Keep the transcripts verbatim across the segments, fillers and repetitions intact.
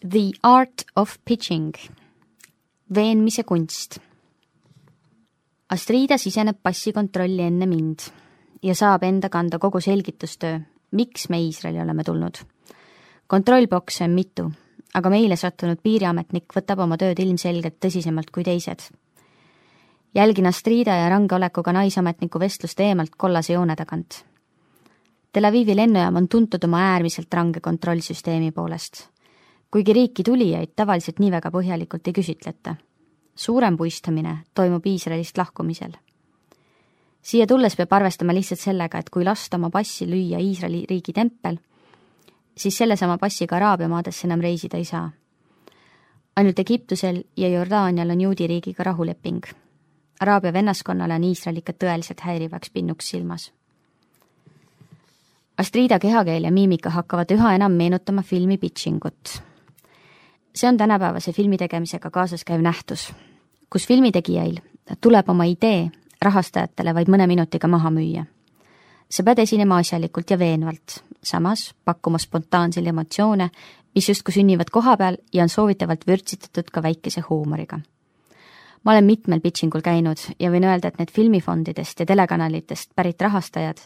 The art of pitching. Veenmise kunst. Astrida siseneb passikontrolli enne mind ja saab enda kanda kogu selgitustöö, miks me Iisraeli oleme tulnud. Kontrollbokse on mitu, aga meile sattunud piiriametnik võtab oma tööd ilmselgelt tõsisemalt kui teised. Jälgin Astrida ja range olekuga naisametniku vestlust eemalt kollase joone tagant. Tel Avivi lennujaam on tuntud oma äärmiselt range kontrollsüsteemi poolest. Kuigi riiki tulijaid tavaliselt nii väga põhjalikult ei küsitleta. Suurem puistamine toimub Iisraelist lahkumisel. Siia tulles peab arvestama lihtsalt sellega, et kui lasta oma passi lüüa Iisraeli riigi tempel, siis selle sama passiga Araabia maadesse enam reisida ei saa. Ainult Egiptusel ja Jordaanial on juudi riigiga rahuleping. Araabia vennaskonnale on Iisrael ikka tõeliselt häirivaks pinnuks silmas. Astrida kehakeel ja miimika hakkavad üha enam meenutama filmi pitchingut. See on tänapäevase filmi tegemisega kaasas käiv nähtus, kus filmitegijail tuleb oma idee rahastajatele vaid mõne minutiga maha müüa. Sa pead esinema asjalikult ja veenvalt, samas pakkuma spontaanseid emotsioone, mis justkui sünnivad koha peal ja on soovitavalt vürtsitatud ka väikese huumoriga. Ma olen mitmel pitchingul käinud ja võin öelda, et need filmifondidest ja telekanalitest pärit rahastajad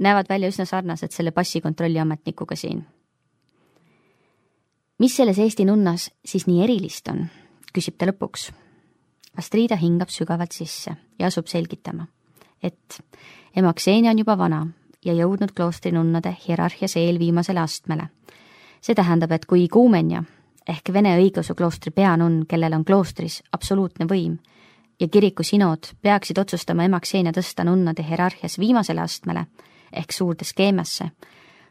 näevad välja üsna sarnased selle passikontrolli ametnikuga siin. Mis selles Eesti nunnas siis nii erilist on, küsib ta lõpuks. Astrida hingab sügavalt sisse ja asub selgitama, et ema Ksenia on juba vana ja jõudnud kloostri nunnade hierarhias eelviimasele astmele. See tähendab, et kui Iguumenja ehk Vene õigeusu kloostri peanunn, kellel on kloostris absoluutne võim ja kiriku sinood peaksid otsustama ema Ksenia tõsta nunnade hierarhias viimasele astmele ehk suurde skeemiasse,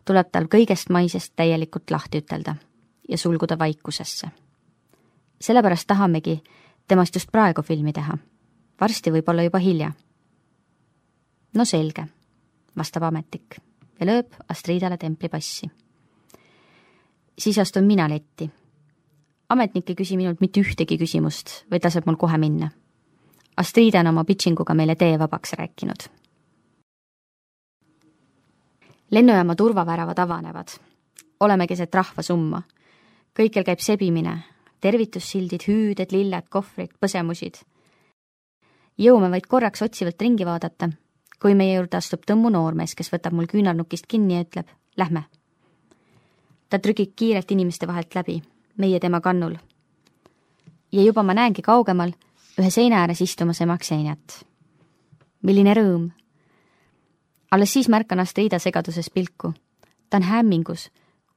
tuleb tal kõigest maisest täielikult lahti ütelda ja sulguda vaikusesse. Sellepärast tahamegi temast just praegu filmi teha. Varsti võib olla juba hilja. No selge, vastab ametnik ja lööb Astridale templipassi. Siis astun mina letti. Ametnik ei küsi minult mitte ühtegi küsimust, vaid laseb mul kohe minna. Astrida on oma pitchinguga meile tee vabaks rääkinud. Lennujaama turvaväravad avanevad. Oleme keset rahva summa. Kõikel käib sebimine, tervitussildid, hüüded, lilled, kohvrid, põsemusid. Jõume vaid korraks otsivalt ringi vaadata, kui meie juurde astub tõmmu noormees, kes võtab mul küünarnukist kinni ja ütleb, lähme. Ta trügib kiirelt inimeste vahelt läbi, meie tema kannul. Ja juba ma näengi kaugemal ühe seina ääres istumas ema Kseniat. Milline rõõm. Alles siis märkan Astrida segaduses pilku. Ta on hämmingus,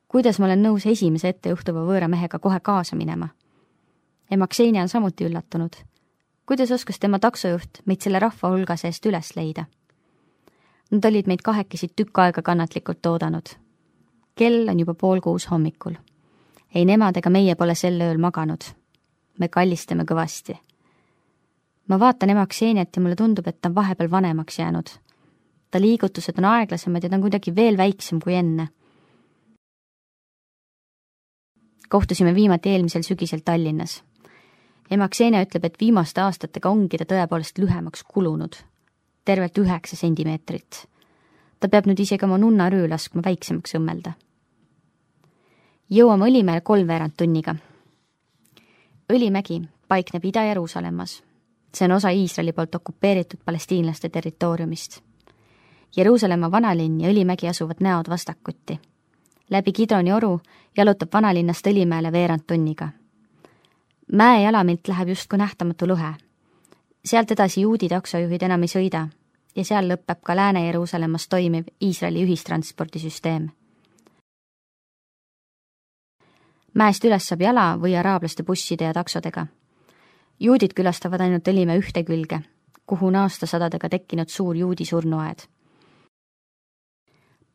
kuidas ma olen nõus esimese ette juhtuva võõra mehega kohe kaasa minema. Ema Ksenia on samuti üllatunud. Kuidas oskas tema taksojuht meid selle rahva hulga seest üles leida? Nad olid meid kahekesi tükk aega kannatlikult oodanud. Kell on juba pool kuus hommikul. Ei nemad ega meie pole sel ööl maganud. Me kallistame kõvasti. Ma vaatan ema Kseniat ja mulle tundub, et ta on vahepeal vanemaks jäänud. Ta liigutused on aeglasemad ja ta on kuidagi veel väiksem kui enne. Kohtusime viimati eelmisel sügisel Tallinnas. Ema Ksenia ütleb, et viimaste aastatega ongi ta tõepoolest lühemaks kulunud. Tervelt üheksa sentimeetrit. Ta peab nüüd isegi oma nunna röö laskma väiksemaks õmmelda. Jõuame Õlimäele kolmveerand tunniga. Õlimägi paikneb Ida-Jeruusalemmas. See on osa Iisraeli poolt okupeeritud palestiinlaste territooriumist. Jeruusalemma vanalinn ja Õlimägi asuvad näod vastakuti. Läbi Kidroni oru jalutab vanalinnast Õlimäele veerand tunniga. Mäe jalamilt läheb justkui nähtamatu lõhe. Sealt edasi juudi taksojuhid enam ei sõida ja seal lõpeb ka Lääne-Jeruusalemmas toimiv Iisraeli ühistranspordisüsteem. Mäest üles saab jala või araablaste busside ja taksodega. Juudid külastavad ainult Õlimäe ühte külge, kuhu on aastasadadega tekkinud suur juudi surnuaed.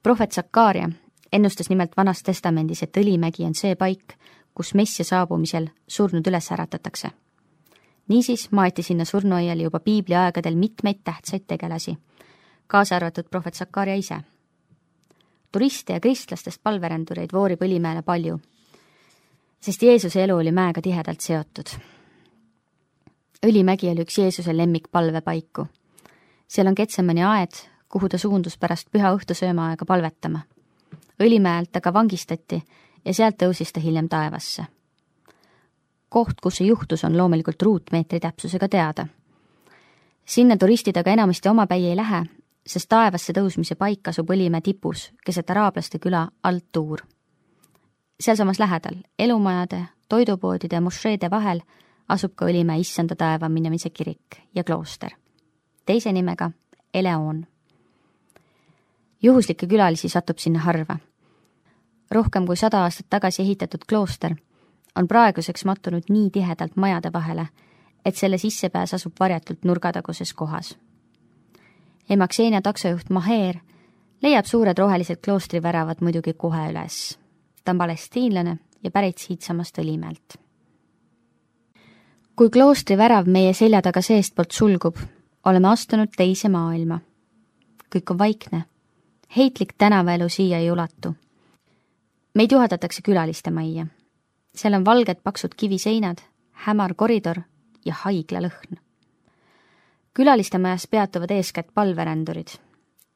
Prohvet Sakaaria ennustas nimelt Vanas testamendis, et Õlimägi on see paik, kus messia saabumisel surnud üles äratatakse. Niisiis maeti sinna surnuaiali juba piibli aegadel mitmeid tähtsaid tegelasi, kaasa arvatud prohvet Sakaaria ise. Turiste ja kristlastest palverändureid voorib Õlimäele palju, sest Jeesuse elu oli mäega tihedalt seotud. Õlimägi oli üks Jeesuse lemmik palvepaiku. Seal on Getsemani aed, kuhu ta suundus pärast püha õhtusöömaaega palvetama. Õlimäelt aga vangistati ja sealt tõusis ta hiljem taevasse. koht, kus see juhtus, on loomulikult ruutmeetri täpsusega teada. Sinna turistid aga enamasti omapäi ei lähe, sest taevasse tõusmise paik asub Õlimäe tipus, keset araablaste küla Al-Tuur. Sealsamas lähedal, elumajade, toidupoodide ja mošeede vahel asub ka Õlimäe issanda taeva minemise kirik ja klooster, teise nimega Eleon. Juhuslikke külalisi satub sinna harva. Rohkem kui sada aastat tagasi ehitatud klooster on praeguseks mattunud nii tihedalt majade vahele, et selle sissepääs asub varjatult nurgataguses kohas. Ema Xenia taksojuht Maher leiab suured rohelised kloostriväravad muidugi kohe üles. Ta on palestiinlane ja pärit siitsamast Õlimäelt. Kui kloostrivärav meie selja taga seestpoolt sulgub, oleme astunud teise maailma. Kõik on vaikne. Heitlik tänavaelu siia ei ulatu. Meid juhatatakse külaliste majja. Seal on valged paksud kiviseinad, hämar koridor ja haigla lõhn. Külaliste majas peatuvad eeskätt palverändurid.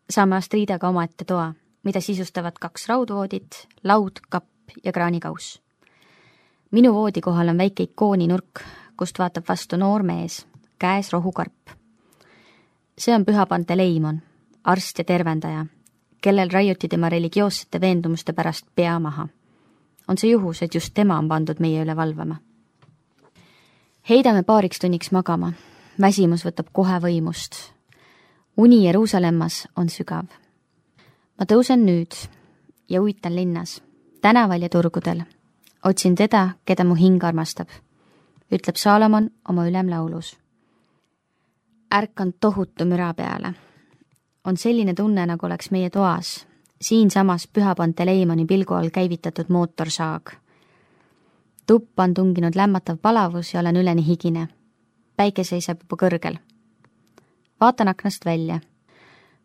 Saame Astridaga omaette toa, mida sisustavad kaks raudvoodit, laud, kapp ja kraanikauss. Minu voodi kohal on väike ikooninurk, kust vaatab vastu noor mees, käes rohukarp. See on Püha Panteleimon, arst ja tervendaja, kellel raiuti tema religioossete veendumuste pärast pea maha. On see juhus, et just tema on pandud meie üle valvama. Heidame paariks tunniks magama. Väsimus võtab kohe võimust. Uni Jeruusalemmas on sügav. Ma tõusen nüüd ja uitan linnas, tänaval ja turgudel. Otsin teda, keda mu hing armastab, ütleb Saalomon oma ülemlaulus. Ärkan tohutu müra peale. On selline tunne, nagu oleks meie toas, siinsamas Püha Panteleimoni pilgu all käivitatud mootorsaag. Tuppa on tunginud lämmatav palavus ja olen üleni higine. Päike seisab juba kõrgel. Vaatan aknast välja.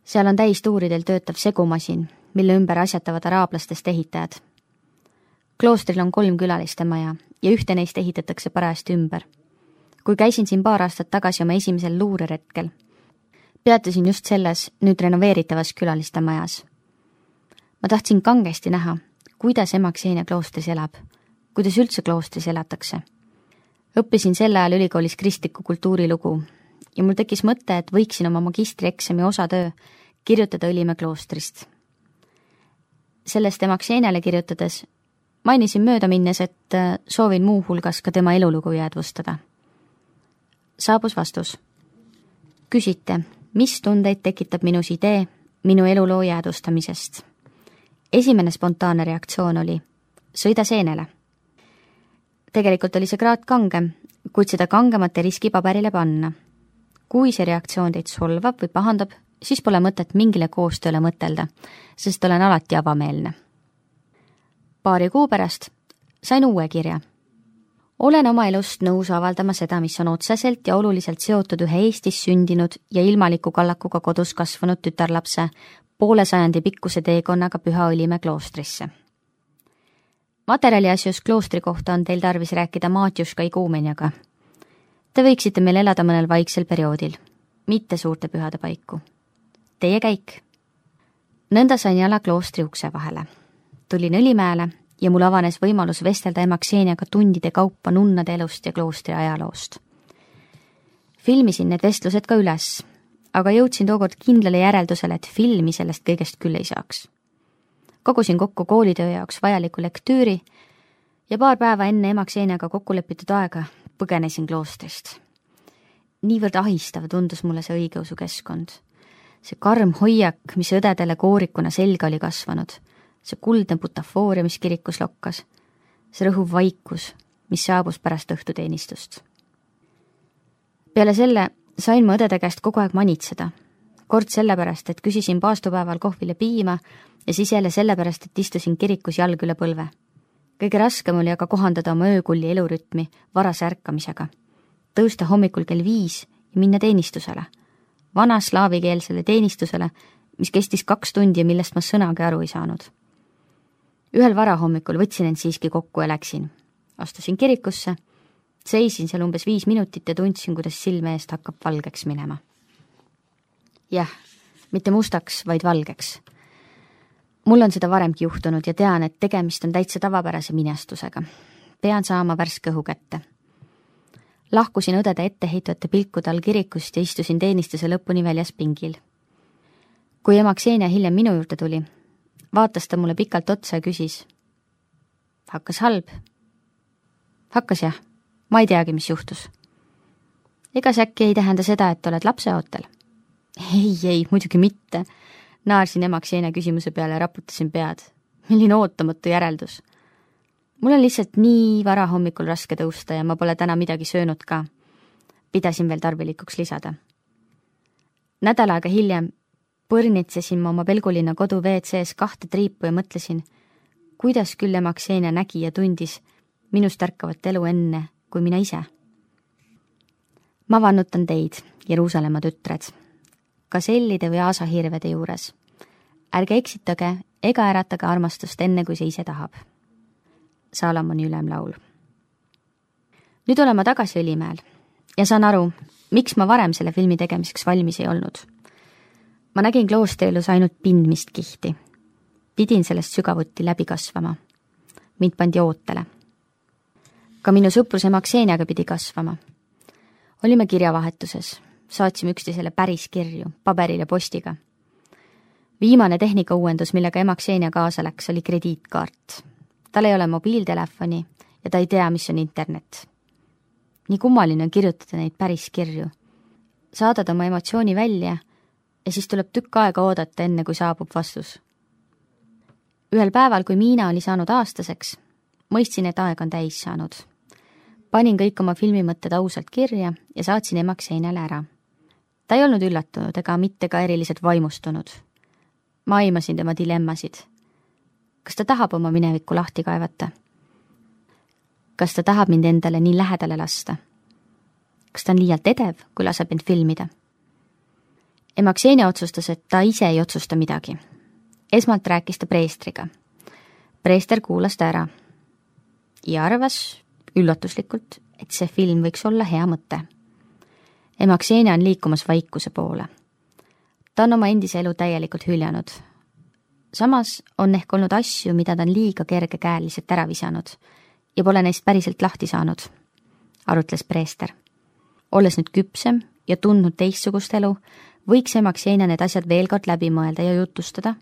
Seal on täistuuridel töötav segumasin, mille ümber asjatavad araablastest ehitajad. Kloostril on kolm külaliste maja ja ühte neist ehitatakse parajasti ümber. Kui käisin siin paar aastat tagasi oma esimesel luureretkel, peatusin just selles nüüd renoveeritavas külaliste majas. Ma tahtsin kangesti näha, kuidas ema Xenia kloostris elab, kuidas üldse kloostris elatakse. Õppisin selle ajal ülikoolis kristliku kultuurilugu ja mul tekkis mõte, et võiksin oma magistrieksami osatöö kirjutada Õlimäe kloostrist. Sellest ema Xeniale kirjutades mainisin mööda minnes, et soovin muu hulgas ka tema elulugu jäädvustada. Saabus vastus. Küsite, mis tundeid tekitab minus idee minu eluloo jäädvustamisest? Esimene spontaanne reaktsioon oli sõida seenele. Tegelikult oli see kraad kangem, kuid seda kangemat ei riski paberile panna. Kui see reaktsioon teid solvab või pahandab, siis pole mõtet mingile koostööle mõtelda, sest olen alati avameelne. Paari kuu pärast sain uue kirja. Olen oma elust nõus avaldama seda, mis on otseselt ja oluliselt seotud ühe Eestis sündinud ja ilmaliku kallakuga kodus kasvanud tütarlapse poole sajandi pikkuse teekonnaga Püha Õlimäe kloostrisse. Materjali asjus kloostri kohta on teil tarvis rääkida Maatjuška iguumenjaga. Te võiksite meil elada mõnel vaiksel perioodil, mitte suurte pühade paiku. Teie käik. Nõnda sain jala kloostri ukse vahele. Tulin Õlimäele ja mul avanes võimalus vestelda ema Xeniaga tundide kaupa nunnade elust ja kloostri ajaloost. Filmisin need vestlused ka üles, aga jõudsin tookord kindlale järeldusele, et filmi sellest kõigest küll ei saaks. Kogusin kokku koolitöö jaoks vajaliku lektüüri ja paar päeva enne ema Xeniaga kokku lepitud aega põgenesin kloostrist. Niivõrd ahistav tundus mulle see õigeusu keskkond. See karm hoiak, mis õdedele koorikuna selga oli kasvanud, see kuldne butafooria, mis kirikus lokkas, see rõhuv vaikus, mis saabus pärast õhtuteenistust. Peale selle sain ma õdede käest kogu aeg manitseda. Kord sellepärast, et küsisin paastupäeval kohvile piima ja siis jälle sellepärast, et istusin kirikus jalg üle põlve. Kõige raskem oli aga kohandada oma öökulli elurütmi varase ärkamisega. Tõusta hommikul kell viis ja minna teenistusele. Vana slaavikeelsele teenistusele, mis kestis kaks tundi ja millest ma sõnagi aru ei saanud. Ühel varahommikul võtsin end siiski kokku ja läksin. Astusin kirikusse, seisin seal umbes viis minutit ja tundsin, kuidas silme eest hakkab valgeks minema. Jah, mitte mustaks, vaid valgeks. Mul on seda varemgi juhtunud ja tean, et tegemist on täitsa tavapärase minestusega. Pean saama värske õhu kätte. Lahkusin õdede etteheitvate pilkude all kirikust ja istusin teenistuse lõpuni väljas pingil. Kui ema Ksenia hiljem minu juurde tuli, vaatas ta mulle pikalt otsa ja küsis. Hakkas halb? Hakkas jah. Ma ei teagi, mis juhtus. Ega see äkki ei tähenda seda, et oled lapseootel? Ei, ei, muidugi mitte. Naarsin ema Ksenia küsimuse peale ja raputasin pead. Milline ootamatu järeldus. Mul on lihtsalt nii vara hommikul raske tõusta ja ma pole täna midagi söönud ka. Pidasin veel tarvilikuks lisada. Nädal aega hiljem põrnitsesin ma oma Pelgulinna kodu V C S kahte triipu ja mõtlesin, kuidas küll ema Ksenia nägi ja tundis minust ärkavat elu enne kui mina ise. Ma vannutan teid, Jeruusalemma tütred, kasellide või aasahirvede juures. Ärge eksitage ega äratage armastust enne, kui see ise tahab. Saalomoni ülemlaul. Nüüd olen ma tagasi Õlimäel ja saan aru, miks ma varem selle filmi tegemiseks valmis ei olnud. Ma nägin kloostrielus ainult pindmist kihti. Pidin sellest sügavuti läbi kasvama. Mind pandi ootele. Ka minu sõprus ema Kseniaga pidi kasvama. Olime kirjavahetuses, saatsime üksteisele päris kirju, paberil ja postiga. Viimane tehnikauuendus, millega ema Ksenia kaasa läks, oli krediitkaart. Tal ei ole mobiiltelefoni ja ta ei tea, mis on internet. Nii kummaline on kirjutada neid päris kirju. Saadad oma emotsiooni välja ja siis tuleb tükk aega oodata enne, kui saabub vastus. Ühel päeval, kui Miina oli saanud aastaseks, mõistsin, et aeg on täis saanud. Panin kõik oma filmimõtted ausalt kirja ja saatsin ema Kseniale ära. Ta ei olnud üllatunud ega mitte ka eriliselt vaimustunud. Ma aimasin tema dilemmasid. Kas ta tahab oma minevikku lahti kaevata? Kas ta tahab mind endale nii lähedale lasta? Kas ta on liialt edev, kui laseb end filmida? Ema Ksenia otsustas, et ta ise ei otsusta midagi. Esmalt rääkis ta preestriga. Preester kuulas ta ära ja arvas üllatuslikult, et see film võiks olla hea mõte. Ema Ksenia on liikumas vaikuse poole. Ta on oma endise elu täielikult hüljanud. Samas on ehk olnud asju, mida ta on liiga kergekäeliselt ära visanud ja pole neist päriselt lahti saanud, arutles preester. Olles nüüd küpsem ja tundnud teistsugust elu, võiks ema Ksenia need asjad veel kord läbi mõelda ja jutustada,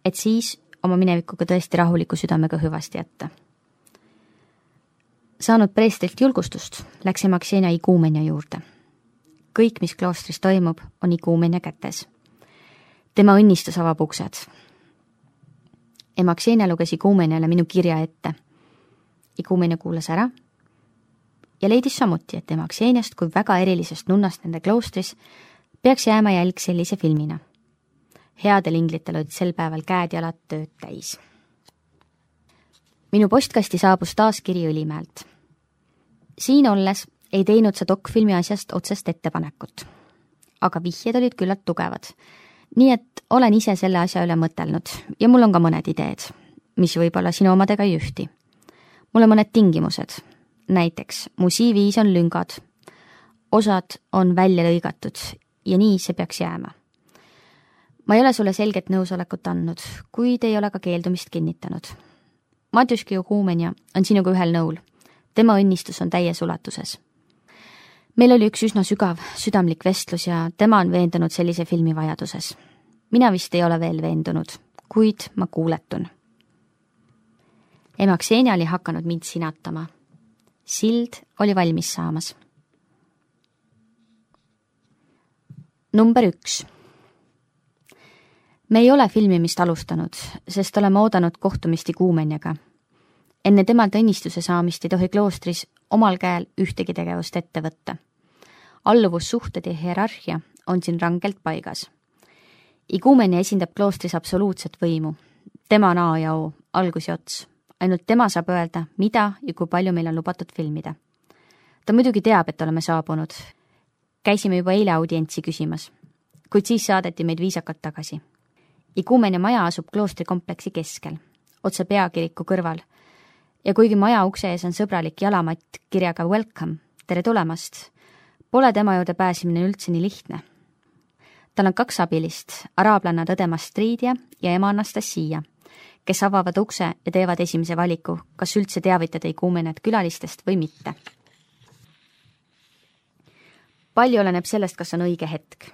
et siis oma minevikuga tõesti rahuliku südamega hüvasti jätta. Saanud preestrilt julgustust, läks ema Ksenia iguumenia juurde. Kõik, mis kloostris toimub, on iguumenia kätes. Tema õnnistus avab uksed. Ema Ksenia luges iguumeniale minu kirja ette. Iguumenia kuulas ära ja leidis samuti, et ema Kseniast kui väga erilisest nunnast nende kloostris peaks jääma jälg sellise filmina. Headel inglitel olid sel päeval käed jalad tööd täis. Minu postkasti saabus taas kiri Õlimäelt. Siin olles ei teinud sa dokfilmi asjast otsest ettepanekut, aga vihjed olid küllalt tugevad, nii et olen ise selle asja üle mõtelnud ja mul on ka mõned ideed, mis võib-olla sinu omadega ei ühti. Mul on mõned tingimused, näiteks mu C V-s on lüngad, osad on välja lõigatud ja nii see peaks jääma. Ma ei ole sulle selget nõusolekut andnud, kuid ei ole ka keeldumist kinnitanud. Matjuški Iguumenia on sinuga ühel nõul. Tema õnnistus on täies ulatuses. Meil oli üks üsna sügav, südamlik vestlus ja tema on veendunud sellise filmi vajaduses. Mina vist ei ole veel veendunud, kuid ma kuuletun. Ema Ksenia oli hakanud mind sinatama. Sild oli valmis saamas. Number üks. Me ei ole filmimist alustanud, sest oleme oodanud kohtumist Iguumeniaga. Enne temalt õnnistuse saamist ei tohi kloostris omal käel ühtegi tegevust ette võtta. Alluvussuhted ja hierarhia on siin rangelt paigas. Iguumenia esindab kloostris absoluutset võimu. Tema on A ja O, algus ja ots. Ainult tema saab öelda, mida ja kui palju meil on lubatud filmida. Ta muidugi teab, et oleme saabunud. Käisime juba eile audientsi küsimas, kuid siis saadeti meid viisakalt tagasi. Iguumenia maja asub kloostrikompleksi keskel, otse peakiriku kõrval, ja kuigi maja ukse ees on sõbralik jalamatt kirjaga Welcome, tere tulemast, pole tema juurde pääsimine üldse nii lihtne. Tal on kaks abilist, araablanna õdema Stridia ja ema Anastasia, kes avavad ukse ja teevad esimese valiku, kas üldse teavitada Iguumeniat külalistest või mitte. palju oleneb sellest, kas on õige hetk.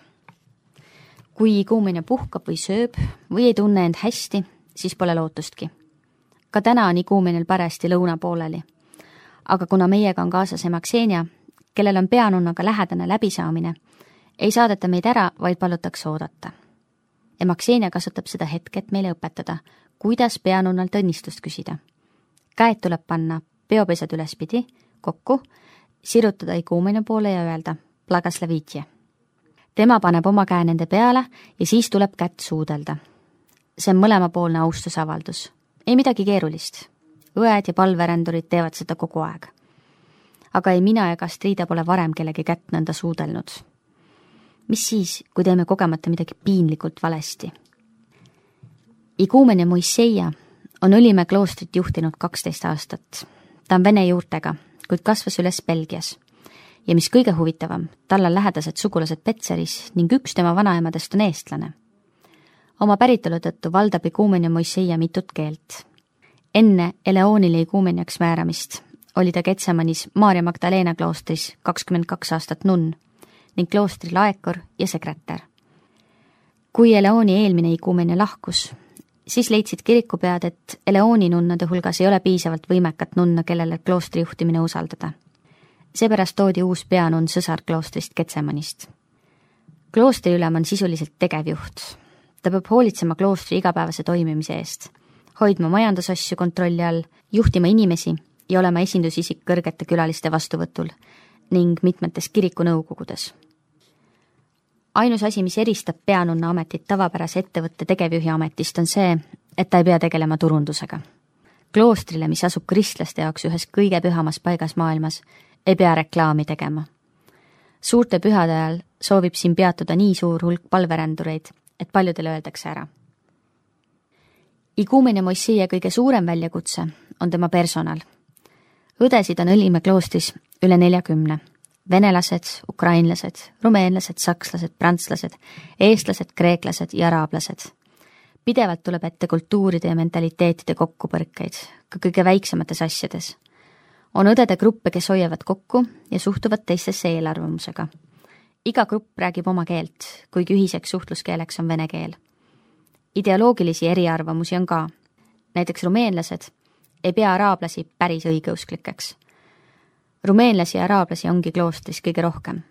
Kui ikuumene puhkab või sööb või ei tunne end hästi, siis pole lootustki. Ka täna on ikuumenil parajasti lõuna pooleli. Aga kuna meiega on kaasas ema Ksenia, kellel on peanunnaga lähedane läbisaamine, ei saadeta meid ära, vaid palutakse oodata. Ema Ksenia kasutab seda hetket meile õpetada, kuidas peanunnalt õnnistust küsida. Käed tuleb panna peopesad ülespidi, kokku, sirutada ikuumene poole ja öelda Blagoslavitje. Tema paneb oma käe nende peale ja siis tuleb kätt suudelda. See on mõlemapoolne austusavaldus. Ei midagi keerulist. Õed ja palverändurid teevad seda kogu aeg. Aga ei mina ega Strida pole varem kellegi kätt nõnda suudelnud. Mis siis, kui teeme kogemata midagi piinlikult valesti? Ikuumen ja Moiseia on Õlimäe kloostrit juhtinud kaksteist aastat. Ta on vene juurtega, kuid kasvas üles Belgias. Ja mis kõige huvitavam, tal on lähedased sugulased Petseris ning üks tema vanaemadest on eestlane. Oma päritolu tõttu valdab ikuumen ja Moiseia mitut keelt. Enne Eleonile ikuumeniaks määramist oli ta Getsemanis Maarja Magdalena kloostris kakskümmend kaks aastat nunn ning kloostri laekor ja sekretär. Kui Eleoni eelmine ikuumenia lahkus, siis leidsid kirikupead, et Eleoni nunnade hulgas ei ole piisavalt võimekat nunna, kellele kloostri juhtimine usaldada. Seepärast toodi uus peanunn sõsar kloostrist Getsemanist. Kloostri ülem on sisuliselt tegevjuht. Ta peab hoolitsema kloostri igapäevase toimimise eest, hoidma majandusasju kontrolli all, juhtima inimesi ja olema esindusisik kõrgete külaliste vastuvõtul ning mitmetes kirikunõukogudes. Ainus asi, mis eristab peanunna ametit tavapärase ettevõtte tegevjuhi ametist, on see, et ta ei pea tegelema turundusega. Kloostrile, mis asub kristlaste jaoks ühes kõige pühamas paigas maailmas, ei pea reklaami tegema. Suurte pühade ajal soovib siin peatuda nii suur hulk palverändureid, et paljudele öeldakse ära. Ikuumen ja Moiseia kõige suurem väljakutse on tema personal. Õdesid on Õlimäe kloostris üle neljakümne. Venelased, ukrainlased, rumeenlased, sakslased, prantslased, eestlased, kreeklased ja araablased. Pidevalt tuleb ette kultuuride ja mentaliteetide kokkupõrkeid, ka kõige väiksemates asjades. On õdede gruppe, kes hoiavad kokku ja suhtuvad teistesse eelarvamusega. Iga grupp räägib oma keelt, kuigi ühiseks suhtluskeeleks on vene keel. Ideoloogilisi eriarvamusi on ka. Näiteks rumeenlased ei pea araablasi päris õigeusklikeks. Rumeenlasi ja araablasi ongi kloostris kõige rohkem.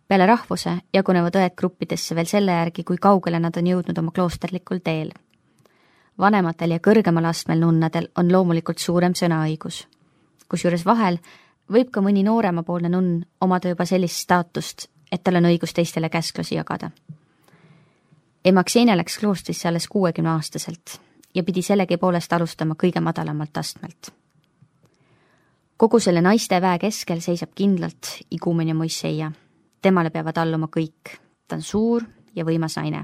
Peale rahvuse jagunevad õed gruppidesse veel selle järgi, kui kaugele nad on jõudnud oma kloosterlikul teel. Vanematel ja kõrgemal astmel nunnadel on loomulikult suurem sõnaõigus. Kusjuures vahel võib ka mõni nooremapoolne nunn omada juba sellist staatust, et tal on õigus teistele käsklusi jagada. Ema Ksenia läks kloostrisse alles kuuekümne aastaselt ja pidi sellegi poolest alustama kõige madalamalt astmelt. Kogu selle naiste väe keskel seisab kindlalt ikuumen ja Moiseia. Temale peavad alluma kõik. Ta on suur ja võimas naine.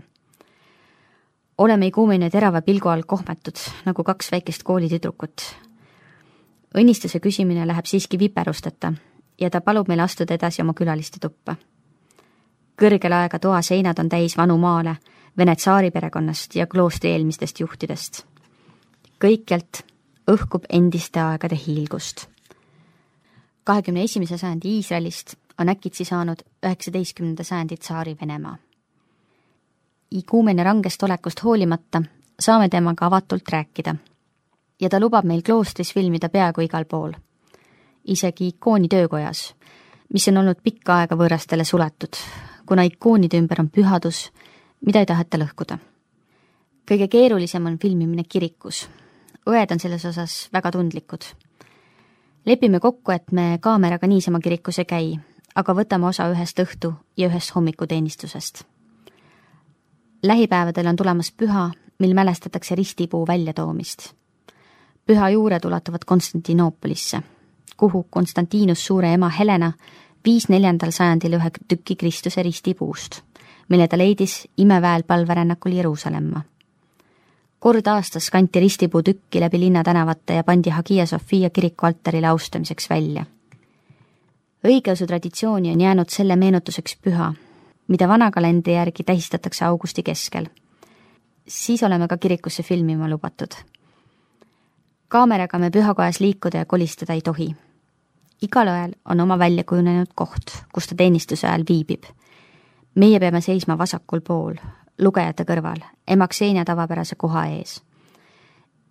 Oleme ikuumen ja terava pilgu all kohmetud, nagu kaks väikest koolitüdrukut. Õnnistuse küsimine läheb siiski viperusteta ja ta palub meil astuda edasi oma külaliste tuppa. Kõrgel aega toa seinad on täis vanu maale, vene tsaari perekonnast ja kloostri eelmistest juhtidest. Kõikjalt õhkub endiste aegade hiilgust. kahekümne esimese sajandi Iisraelist on äkitsi saanud üheksateistkümnenda sajandi tsaari Venemaa. Ikuumen ja rangest olekust hoolimata saame temaga avatult rääkida ja ta lubab meil kloostris filmida peaaegu igal pool. Isegi ikooni töökojas, mis on olnud pikka aega võõrastele suletud, kuna ikoonide ümber on pühadus, mida ei taheta lõhkuda. Kõige keerulisem on filmimine kirikus. Õed on selles osas väga tundlikud. Lepime kokku, et me kaameraga niisama kirikus ei käi, aga võtame osa ühest õhtu ja ühest hommikuteenistusest. Lähipäevadel on tulemas püha, mil mälestatakse ristipuu väljatoomist. Püha juured ulatuvad Konstantinoopolisse, kuhu Konstantinus suure ema Helena viis neljandal sajandil ühe tüki Kristuse ristipuust, mille ta leidis imeväel palverännakul Jeruusalemma. Kord aastas kanti ristipuu tükki läbi linnatänavate ja pandi Hagia Sophia kiriku altarile austamiseks välja. Õigeusu traditsiooni on jäänud selle meenutuseks püha, mida vana kalendri järgi tähistatakse augusti keskel. Siis oleme ka kirikusse filmima lubatud. Kaameraga me pühakojas liikuda ja kolistada ei tohi. igal õel on oma välja kujunenud koht, kus ta teenistuse ajal viibib. Meie peame seisma vasakul pool, lugejate kõrval, ema Xenia tavapärase koha ees.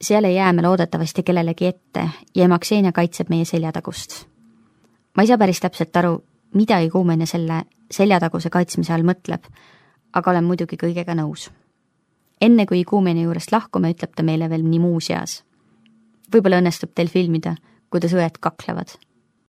Seal ei jää me loodetavasti kellelegi ette ja ema Xenia kaitseb meie seljatagust. Ma ei saa päris täpselt aru, mida iguumene selle seljataguse kaitsmise all mõtleb, aga olen muidugi kõigega nõus. Enne kui iguumeni juurest lahkume, ütleb ta meile veel nii muu seas. Võib-olla õnnestub teil filmida, kuidas õed kaklevad.